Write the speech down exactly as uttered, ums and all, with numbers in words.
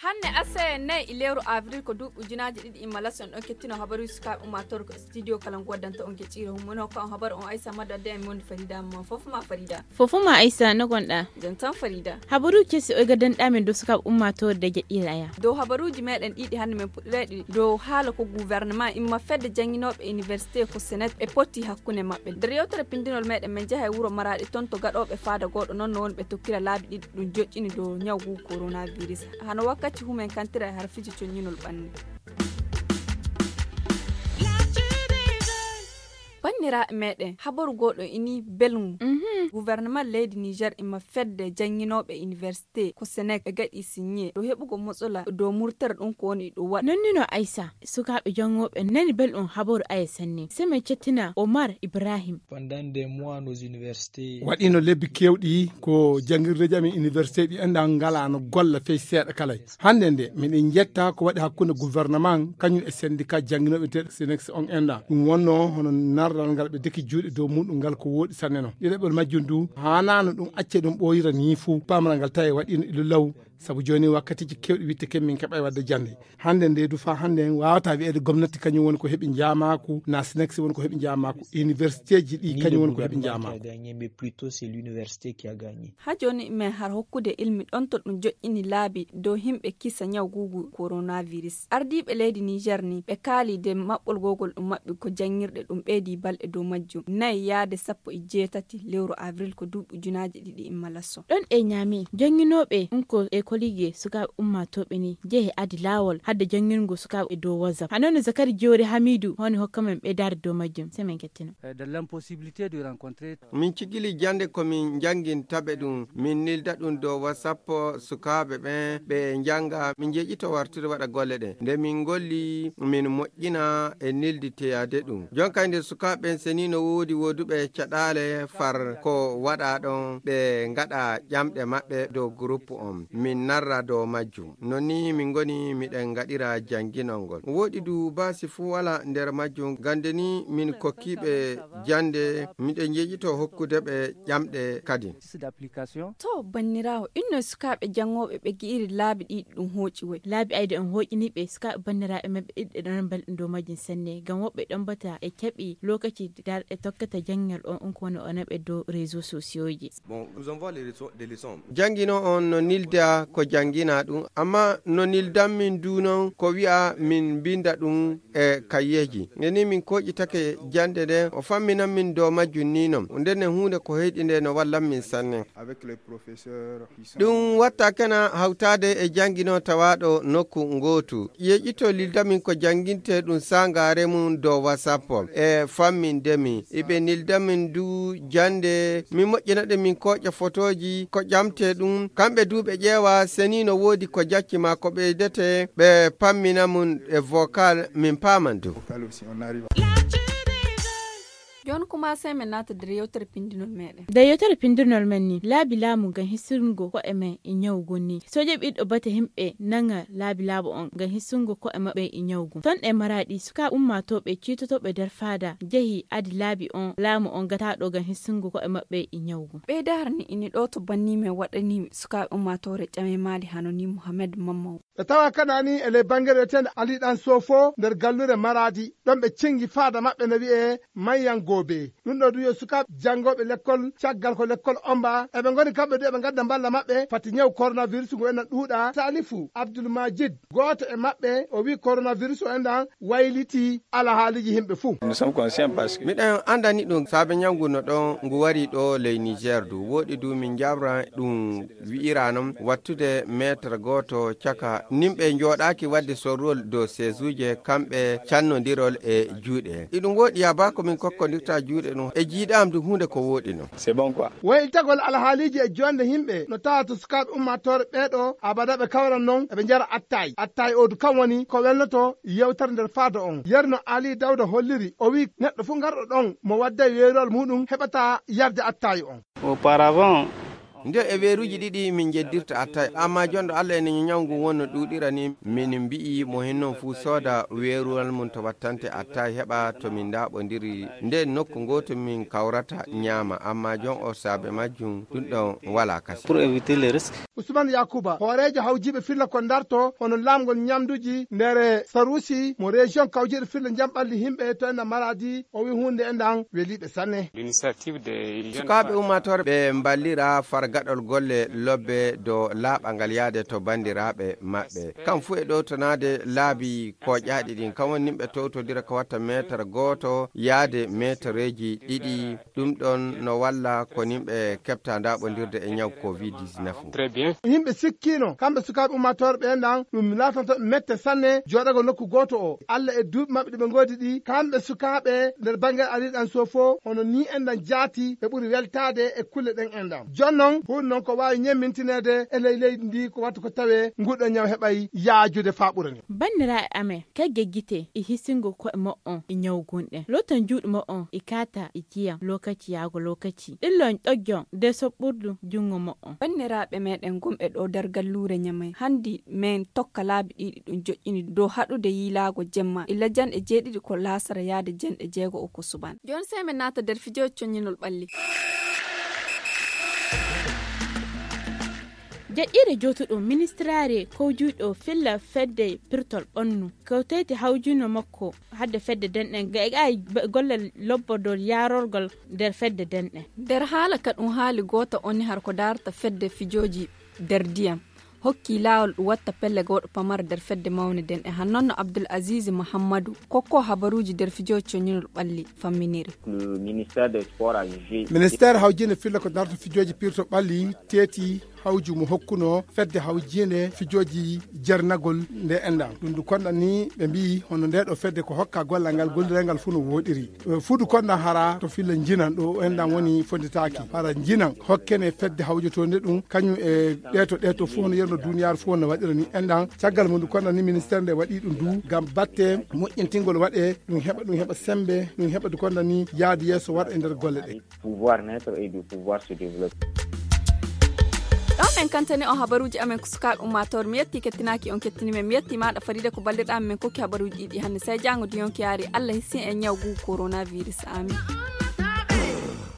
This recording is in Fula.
Hannde asaye nayi e lewru avril ko duuɓi ujunaaji ɗiɗi imma laso, en ɗon kettino habaruuji sukaaɓe ummaatoore ko studio kala ngu waddanta on gecciro hummuno ko on habaru on aysa madda de en mondi farida mo fof ma farida. Fof ma aysa no gonɗa? Jon tan farida. Habaruuji kesi o gaddanɗa men dow sukaaɓe ummaatoore de jeɗɗiɗa aya. Dow habaruuji meɗen ɗiɗi hannde men puɗɗirayɗi dow haala ko gouvernement imma fedde jannginooɓe université ko senet e potti hakkunde maɓɓe. Nder yewtere pindinol meɗen men njaha e wuro maraɗi ton to gaɗooɓe faada gooɗo noon no woni ɓe tokkira laabi ɗiɗi ɗum joƴƴini dow ñaw ngu coronavirus. Hano wakkati humen kantira e harfiiji coññinol ɓanni. Banniraaɓe meɗen, habaru gooɗo ini belngu. Gouvernement leydi Niger ima fedde jannginooɓe université ko senek ɓe gaɗi signé dow heɓugo motsola dow murtere ɗum ko woni ɗum waɗa. Nonnino Aissa, sukaaɓe janngooɓe nani belɗum habaru aya sanne. Seme cettina Omar Ibrahim. Waɗiino lebbi keewɗi ko janngirdeeji amin université ɗi anndaa ngalaa no golla fey seeɗa kala. Hannde nde miɗen njetta ko waɗi hakkunde gouvernement kañum e syndicat jannginooɓe teeɗo sinex on enda ɗum wonno hono narral ngal ɓe deki juuɗe dow muɗum ngal ko wooɗi sanne no ɗiɗaɓol majjum du haanaano ɗum acce ɗum ɓooyira ni fuu pamaral ngal tawi waɗiino ilo law. Sabu jooni wakkatiiji keewɗi witte ken min keɓay waɗde jannde. Hannde nde du faa hannde en waawata wiyeede gomnati kañum woni ko heɓi njaamaaku na sinex woni ko heɓi njaamaaku universitéji ɗi kañum woni ko heɓi njaamaaku. Ha jooni men har hokkude ilmi ɗon to ɗum joƴƴini laabi dow himɓe kisa ñaw guugu coronavirus. Ardiiɓe leydi Niger ni ɓe kaali de maɓɓol gogol ɗum maɓɓi ko janngirɗe ɗum ɓeydi balɗe dow majjum nayi yaade sappo e jeetati lewru avril ko duuɓi ujunaaji ɗiɗi imma lasso. Ɗon e ñaami jannginooɓe ɗum ko e kollige sukaaɓe ummaatooɓe ni jehe adi laawol hadde janngirngo sukaaɓe e dow WhatsApp. Hano no Zakari Joori Hamidu honi hokka men ɓeydaade dow majjum. Semaine kettino. Min cigili jannde ko min njanngintaɓe ɗum, min nilda ɗum dow WhatsApp sukaaɓe ɓen ɓe njannga, min njeƴito wartude waɗa golle ɗen. Nde min ngolli, min moƴƴina e nilditeyaade ɗum. Jonkay nde sukaaɓe ɓen seni no woodi wooduɓe caɗaale far ko waɗa ɗon, ɓe ngaɗa ƴamɗe maɓɓe dow groupe on, min narra dow majjum. Non ni min ngoni miɗen ngaɗira jannginol ngol. Wooɗi du baasi fuu walaa nder majjum, gande ni min kokkiiɓe jannde, miɗen njeƴito hokkude ɓe ƴamɗe kadi. To, banniraawo, inno sukaaɓe janngooɓe ɓe gi'iri laabi ɗiɗi ɗum hooƴi woy? Laabi ayde on hooƴini ɓe sukaaɓe banniraaɓe maɓɓe ɗiɗi ɗe ɗon belɗum dow majjum sanne, ngam woɓɓe ɗon bata e keɓi lokaci darɗe tokkata janngirɗe on, on ko woni o naɓe dow réseau sociaux ji. Bon, nous envoie les leçons, des leçons. Janngino on no nilda ko janngina ɗum, amma no nildan min du non ko wi'a min mbinda ɗum e kayyeeji. Nde ni min kooƴitake jannde nde, o famminan min dow majjum ni non. Nden ne huunde ko heyɗi nde no wallan min sanne. Avec les professeurs qui sont. Ɗum watta kena hawtaade e janngino tawaaɗo nokku ngootu. Yeƴito lilda min ko jannginte ɗum saangaare mum dow WhatsApp e famminde mi. Iɓe nilda min du jannde, min moƴƴina ɗe min kooƴa fotooji ko ƴamte ɗum. Kamɓe du ɓe ƴeewa seni no woodi ko jacci ma ko ɓeydete, ɓe pammina mum e vocal min paaman du. Jooni kuma sey min naata nder yewtere pindinol meɗen. Nder yewtere pindinol men ni, laabi laamu ngam hisirgo ko'e men e ñawgu ni. Sooje ɓiɗɗo bate himɓe nanga laabi laamu on ngam hisirgo ko'e maɓɓe e ñawgu. Ton e Maraɗi, sukaaɓe ummaatooɓe ciitotooɓe nder faada jehi adi laabi on laamu on gataaɗo ngam hisirgo ko'e maɓɓe e ñawgu. Ɓeydaare ni ini ɗo to banni men waɗani sukaaɓe ummaatoore ƴame maali hano ni Muhammad Mamman. Ɓe tawa kadi ni e ley bannge wiyeteende Ali Ɗan Sofo nder gallure Maraadi, ɗon ɓe cengi faada maɓɓe no wi'ee Mayyan Goobe. Ɗum ɗo du yo sukaaɓe janngooɓe lekkol, caggal ko lekkol omba, eɓe ngoni kamɓe du eɓe ngadda mballa maɓɓe fati ñaw coronavirus ngu enɗan ɗuuɗa. Salifu Abdul Majid, gooto e maɓɓe, o wi'i coronavirus o enɗan waylitii alhaaliiji yimɓe fuu. Nous sommes conscients parce que. Miɗen anndani ɗum saabe ñaw ngu no ɗon ngu wari ɗo ley Niger du. Wooɗi du min njaɓra ɗum wi'ira non wattude meetre gooto caka nimɓe njooɗaaki waɗde sorrol dow seesuuje kamɓe cannondirol e juuɗe. Iɗum wooɗi yaa baa ko min kokkondirta juuɗe ɗum e jiiɗaam du huunde ko wooɗi non. C'est bon quoi. Wayiltagol alhaaliiji e joonde yimɓe no tawa to sukaaɓe ummaatoore ɓee ɗo abada ɓe kawran non eɓe njara attaay. Attaay oo du kam woni ko welnoto yewtere nder faado on. Yerno Ali Dawda holliri, o wi'i neɗɗo fuu garɗo ɗon mo wadday weeruwal muuɗum heɓata yarde attaay on. Auparavant, Nde e weeruuji ɗiɗi min njeddirta attaay, ammaa jonɗo Allah ene ñaw ngu wonno ɗuuɗira ni, min mbi'i mo hinnon fuu sooda weeruwal mum to wattante attaay heɓa to min ndaaɓondiri nden nokku ngooto min kawrata ñaama, ammaa jon o saabe majjum ɗum ɗon walaa kasi. Pour éviter les risques. Ousmane Yakuba, hooreejo hawjiiɓe filla ko ndarto hono laamgol ñamduuji nder Sarusi mo région kawjiiɗo filla njamɓalli yimɓe to ena Maradi, o wi huunde e ndan weliiɓe sanne. Sukaaɓe ummaatoore ɓe mballira fargaɗol golle lobbe dow laaɓangal yaade to banndiraaɓe maɓɓe. Kam fuu e ɗowtanaade laabi kooƴaaɗi ɗin, kam woni nimɓe towtodira ko watta meetar gooto yaade meetareeji ɗiɗi. Ɗum ɗon no walla ko nimɓe keɓta ndaaɓondirde e ñaw covid dix-neuf. Yimɓe sikkiino, kamɓe sukaaɓe ummaatoore ɓe ndan, ɗum laatanto mette sanne jooɗagol nokku gooto o. Allah e duuɓi maɓɓe ɗi ɓe ngoodi ɗi, kamɓe sukaaɓe nder bannge ariiɗan so fof, hono ni en ndan jaati, ɓe ɓuri weltaade e kulle ɗen en ndan. Jon non, huunde non ko waawi ñemmintineede e ley leydi ndi ko wattu ko tawee nguɗo ñaw heɓay yaajude faa ɓura ni. Banndiraaɓe amen, kagge gite e hisingo ko'e mo'on e ñawgunɗe. Loton juuɗe mo'on e kaata e jiyam lokaci yaago lokaci. Ɗillon ɗoggon de soɓɓurdu junngo mo'on. Banndiraaɓe meɗen gonɓe ɗo nder galluure Ñamay, hanndi men tokka laabi ɗiɗi ɗum joƴƴini dow haɗude yiilaago jemma e lajanɗe jeeɗiɗi ko laasara yaade jenɗe jeego o ko suɓan. Jooni sey men naata nder fijooji coññinol ɓalli. Jaɗɗiire jootuɗum ministiraare kowjuuɗo filla fedde pirtol ɓonnu kewteeti hawjuno makko hadde fedde denɗe ga e gollal lobbodol yaarorgol nder fedde denɗe. Nder haala ka ɗum haali goota onni har ko daarta fedde fijooji nder diyam hokki laawol ɗum watta pelle gawɗo pamara nder fedde mawne denɗe hannonno abdul azizi muhammadu kokko habaruuji nder fijooji coñinol ɓalli famminiri. Ministère hawjinde filla ko darta fijooji pirto ɓalli teeti hawju mo hokkuno fedde hawjinde fijooji jernagol nde enɗam ɗum ndu konɗan ni ɓe mbiyi hono nde ɗo fedde ko hokka gollal ngal gollirangal fuu no woɗiri. Fuudu konɗan hara to filla njinan ɗo enɗam woni fonditaaki hara njinan hokkene fedde hawjotonde ɗum kañum e ɗeto ɗeto fof no yerno duniyaaru fof no waɗira ni enɗam. Caggal mum ndu konɗan ni ministère nde waɗi ɗum du ngam batte moƴƴintingol waɗe ɗum heɓa ɗum heɓa sembe ɗum heɓa du konɗan ni yaadu yeeso waɗa e nder golle ɗe. Pouvoir naître et du pouvoir se développer. Ɗon en kantani on habaruuji amen ko sukaaɓe ummaatoore mi yetti kettinaaki on kettini men mi yetti maaɗa faride ko ballirɗa men kokki habaruuji ɗiɗi hannde sey jaango di yonki yaari allah hissin en ñaw gugu coronavirus amin.